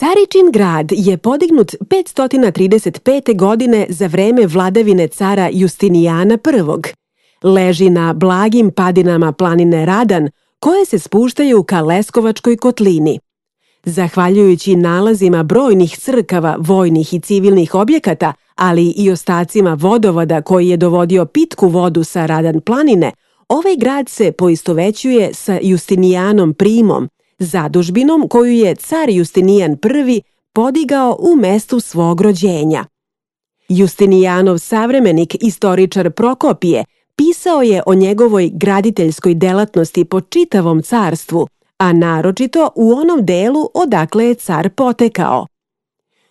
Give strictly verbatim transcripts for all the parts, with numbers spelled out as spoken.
Caričin grad je podignut petsto trideset pete. godine za vreme vladavine cara Justinijana prvog. Leži na blagim padinama planine Radan, koje se spuštaju ka Leskovačkoj kotlini. Zahvaljujući nalazima brojnih crkava, vojnih i civilnih objekata, ali i ostacima vodovoda koji je dovodio pitku vodu sa Radan planine, ovaj grad se poistovećuje sa Justinijanom primom, zadužbinom koju je car Justinijan prvi podigao u mestu svog rođenja. Justinijanov savremenik, istoričar Prokopije, pisao je o njegovoj graditeljskoj delatnosti po čitavom carstvu, a naročito u onom delu odakle je car potekao.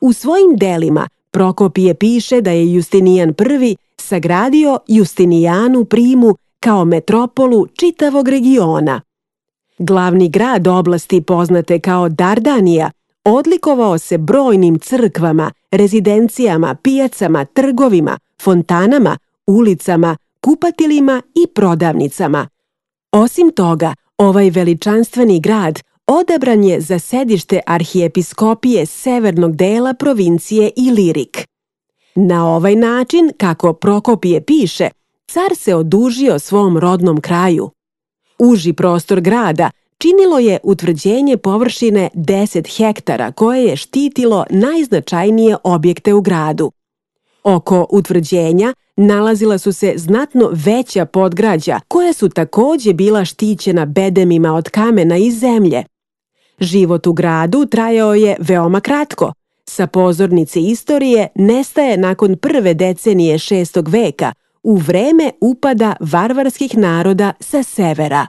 U svojim delima Prokopije piše da je Justinijan prvi sagradio Justinijanu primu kao metropolu čitavog regiona. Glavni grad oblasti poznate kao Dardanija odlikovao se brojnim crkvama, rezidencijama, pijacama, trgovima, fontanama, ulicama, kupatilima i prodavnicama. Osim toga, ovaj veličanstveni grad odabran je za sedište arhijepiskopije severnog dela provincije Ilirik. Na ovaj način, kako Prokopije piše, car se odužio svom rodnom kraju. Uži prostor grada činilo je utvrđenje površine deset hektara koje je štitilo najznačajnije objekte u gradu. Oko utvrđenja nalazila su se znatno veća podgrađa koja su takođe bila štićena bedemima od kamena i zemlje. Život u gradu trajao je veoma kratko. Sa pozornice istorije nestaje nakon prve decenije šestog veka, u vreme upada varvarskih naroda sa severa.